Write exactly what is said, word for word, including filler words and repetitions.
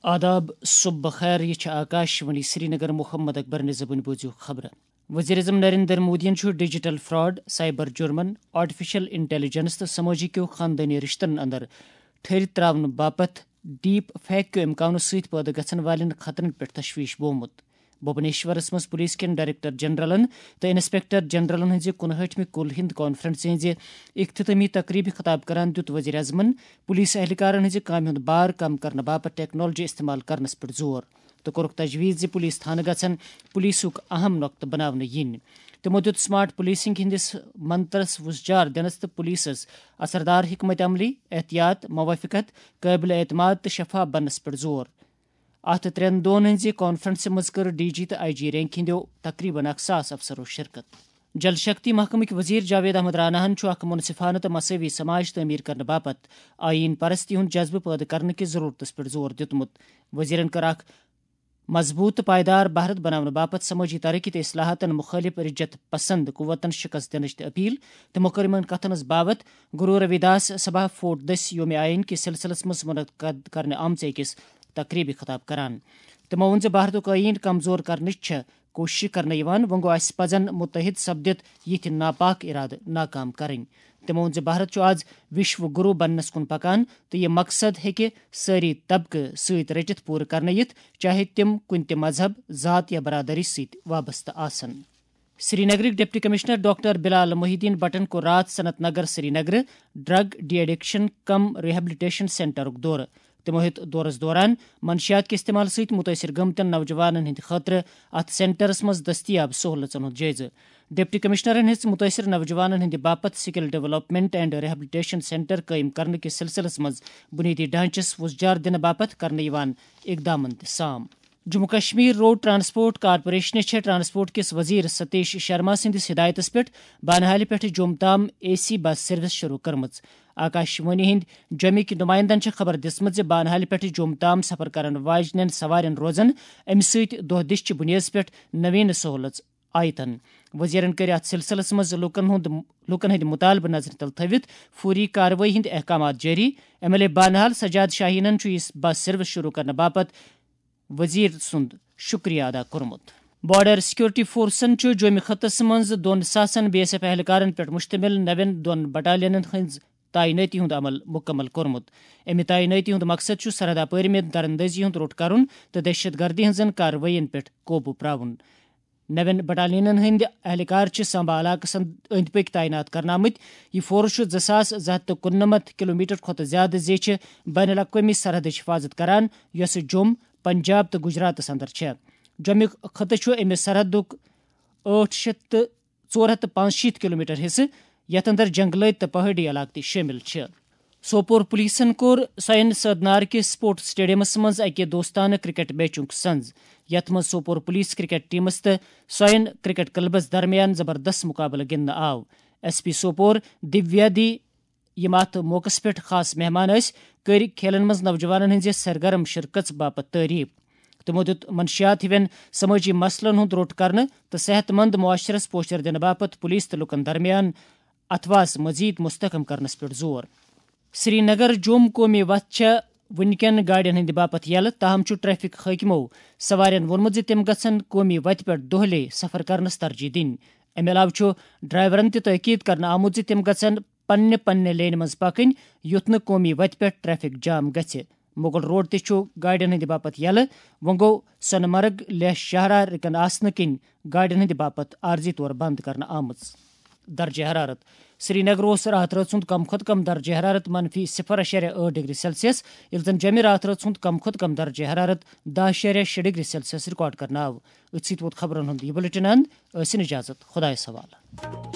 آداب، صبح بخیر، یہ چھِ آکاش وانی سرینگر۔ محمد اکبر نِزبُن بوٗزِو خبرٕ۔ وزیر اعظم نریندر مودیَن چھُ digital fraud, cyber German, artificial intelligence تہٕ سمٲجی کیو خاندٲنی رشتن اندر ٹھٔرۍ تراونہٕ باپتھ ڈیپ فیک کیو امکانو سۭتۍ پٲدٕ گژھن والٮ۪ن خطرن پٮ۪ٹھ تشویش بومُت۔ بھوبنیشورس منٛز پولیس کٮ۪ن ڈائریکٹر جنرلن تہٕ انسپکٹر جنرلن ہٕنٛزِ کُنہٲٹھمہِ کُل ہند کانفرنسہِ ہٕنٛزِ اختتامی تقریبہِ خطاب کران دیُت وزیر اعظمن پولیس اہلکارن ہٕنٛزِ کامہِ ہُنٛد بار کم کرنہٕ باپتھ ٹیکنالوجی استعمال کرنس پٮ۪ٹھ زور تہٕ کوٚرُکھ تجویز زِ پولیس تھانہٕ گژھن پولیسُک اہم نۄقطہٕ بناونہٕ یِنۍ۔ تِمو دیُت سمارٹ پولیسنگ ہٕنٛدِس منترس وُژھ جار دِنس تہٕ پولیسس اثردار حکمت عملی، احتیاط، موافقت، قٲبلِ اعتماد تہٕ شفاف بننس پٮ۪ٹھ زور۔ اتھ ترٛٮ۪ن دۄہن ہٕنٛزِ کانفرنسہِ منٛز کٔر ڈی جی تہٕ آئی جی رینک ہٕنٛدیو تقریباً اکھ ساس افسرو شرکت۔ جل شکتی محکمٕکۍ وزیر جاوید احمد راناہن چھُ اکھ منصفانہٕ تہٕ مساوی سماج تعمیر کرنہٕ باپتھ آئین پرستی ہُنٛد جذبہٕ پٲدٕ کرنہٕ کِس ضرورتس پٮ۪ٹھ زور دیُتمُت۔ وزیرن کٔر اکھ مضبوط تہٕ پائیدار بھارت بناونہٕ باپتھ سمٲجی ترقی تہٕ اصلاحاتن مخٲلف رجعت پسند قوتن شکست دِنٕچ تہِ اپیل۔ تِمو کٔر یِمن کتھن ہٕنٛز باوتھ گرو روی داس سبھا فورٹ دٔسۍ یوم آئین کِس سلسلس منٛز منعقد کرنہٕ آمژِ أکِس تقریبہِ خطاب کران۔ تِمو ووٚن زِ بھارتُک آئین کمزور کرنٕچ چھےٚ کوٗشش کرنہٕ یِوان، وۄنۍ گوٚو اسہِ پزن متحد سپدِتھ یِتھۍ ناپاک ارادٕ ناکام کرٕنۍ۔ تِمو ووٚن زِ بھارت چھُ آز وشو گرو بننس کُن پکان تہٕ یہِ مقصد ہیٚکہِ سٲری طبقہٕ سۭتۍ رٔٹِتھ پوٗرٕ کرنہٕ یِتھ، چاہے تِم کُنہِ تہِ مذہب، ذات یا برادری سۭتۍ وابستہٕ آسن۔ سرینگرٕکۍ deputy commissioner doctor Bilal Mohiuddin بٹن کوٚر راتھ Sanat Nagar Srinagar drug de addiction cum rehabilitation سینٹرُک دورٕ۔ تِمو ہیوٚت دورس دوران منشیات کہِ استعمال سۭتۍ مُتٲثر گٔمتٮ۪ن نوجوانن ہٕنٛدِ خٲطرٕ اتھ سینٹرس منٛز دٔستیاب سہوٗلژن ہُنٛد جٲیزٕ۔ ڈپٹی کمشنرن ہیٚژ مُتٲثر نوجوانن ہٕنٛدِ باپتھ skill development and rehabilitation centre قٲیِم کرنہٕ کِس سلسلس منٛز بُنیٲدی ڈھانچس وُژھ جار دِنہٕ باپتھ کرنہٕ یِوان اقدامن تہِ سام۔ جموں کشمیر روڈ ٹرانسپورٹ کارپوریشنہِ چھےٚ ٹرانسپورٹ کِس وزیر ستیش شرما سٕنٛدِس ہدایتس پٮ۪ٹھ بانہالہِ پٮ۪ٹھٕ جوٚم تام اے سی بس سروس شروع کٔرمٕژ۔ آکاش وانی ہٕنٛدۍ جوٚمِکۍ نمائندن چھےٚ خبر دِژمٕژ زِ بانہالہِ پٮ۪ٹھٕ جوٚم تام سفر کرن واجنٮ۪ن سوارٮ۪ن روزن امہِ سۭتۍ دۄہ دِش چہِ بُنیٲدس پٮ۪ٹھ نویٖنہٕ سہولژ آیتن۔ وزیرن کٔرۍ اتھ سلسلس منٛز لوٗکن ہُنٛد، لوٗکن ہٕنٛدۍ مطالبہٕ نظرِ تل تھٲوِتھ فوری کاروٲیی ہٕنٛدۍ احکامات جٲری۔ M L A Banihal Sajad شاہینن چھُ یہِ بس سروس شروع کرنہٕ باپتھ وزیر سُنٛد شُکریہ ادا کوٚرمُت۔ بارڈر سیکورٹی فورسن چھُ جوٚمہِ خطس منٛز دۄن ساسن بی ایس ایف اہلکارن پٮ۪ٹھ مشتمل نوٮ۪ن دۄن بٹالینن ہٕنٛز تعینٲتی ہُنٛد عمل مُکمل کوٚرمُت۔ اَمہِ تعینٲتی ہُنٛد مقصد چھُ سرحد اپٲرۍ مےٚ دراندٲزی ہُنٛد روٚٹ کرُن تہٕ دہشت گردی ہٕنٛزن کاروٲیین پٮ۪ٹھ قوبوٗ پراوُن۔ نوٮ۪ن بٹالینن ہٕنٛدۍ اہلکار چھِ سامبا علاقس اند-، أنٛدۍ پٔکۍ تعینات کرنہٕ آمٕتۍ۔ یہِ فورس چھُ زٕ ساس زٕ ہتھ تہٕ کُننَمتھ کلومیٹر کھۄتہٕ زیادٕ زیچھِ بین الاقوٲمی سرحدٕچ حفاظت کران، یۄسہٕ جوٚم، پنجاب تہٕ گجراتس اندر چھےٚ۔ جوٚمُک خطہٕ چھُ اَمہِ سرحدُک ٲٹھ شیٚتھ تہٕ ژور ہتھ تہٕ پانٛژشیٖتھ کلومیٹر حصہٕ، یتھ اندر جنگلٲتۍ تہٕ پہٲڑی علاقہٕ تہِ شٲمِل چھِ۔ سوپور پولیسن کوٚر سوین سٲدنار کِس سپورٹس سٹیڈیمس منٛز اکہِ دوستانہٕ کرکٹ میچُک سنز، یتھ منٛز سوپور پولیس کرکٹ ٹیمس تہٕ سوین کرکٹ کلبس درمیان زبردست مقابلہٕ گِنٛدنہٕ آو۔ ایس پی سوپور دیویادی، یِم اتھ موقعس پٮ۪ٹھ خاص مہمان ٲسۍ، کٔرۍ کھیلن منٛز نوجوانن ہٕنٛزِ سرگرم شرکژ باپتھ تعریف۔ تِمو دیُت منشیات ہِوٮ۪ن سمٲجی مسلن ہُنٛد روٚٹ کرنہٕ تہٕ صحت مند معاشرس پوچھر دِنہٕ باپتھ پولیس تہٕ لوٗکن درمیان اتھواس مزید مستحکم کرنس پٮ۪ٹھ زور۔ سرینگر جوٚم قومی وتھ چھےٚ وُنکٮ۪ن گاڑٮ۪ن ہٕنٛدِ باپتھ یلہٕ، تاہم چھُ ٹریفک حٲکمو سوارٮ۪ن ووٚنمُت زِ تِم گژھن قومی وتہِ پٮ۪ٹھ دۄہلے سفر کرنس ترجیح دِنۍ۔ امہِ علاوٕ چھُ ڈرائیورن تہِ تٲکید کرنہٕ آمُت زِ تِم گژھن پننہِ پننہِ لینہِ منٛز پکٕنۍ، یُتھ نہٕ قومی وتہِ پٮ۪ٹھ ٹریفک جام گژھِ۔ مغل روڈ تہِ چھُ گاڑٮ۪ن ہٕنٛدِ باپتھ یلہٕ۔ وۄنۍ گوٚو سۄنہٕ مرگ لیہہ شاہراہ رکن آسنہٕ کِنۍ گاڑٮ۪ن ہٕنٛدِ باپتھ عارضی طور بند کرنہٕ آمٕژ۔ درجہ حرارت۔ سرینگر اوس راتھ رٲژ ہُنٛد کم کھۄتہٕ کم درجہ حرارت منفی صفر اعشاریہ ٲٹھ ڈگری سیلسیس، ییٚلہِ زن جمہِ راتھ رٲژ ہُنٛد کم کھۄتہٕ کم درجہ حرارت دَہ اعشاریہ شےٚ ڈگری سیلسیس ریکارڈ کرنہٕ آو۔ أتھۍ سۭتۍ ووت خبرن ہُنٛد یہِ بلیٹن اند۔ ٲسِن اجازت، خۄدایس حوالہٕ۔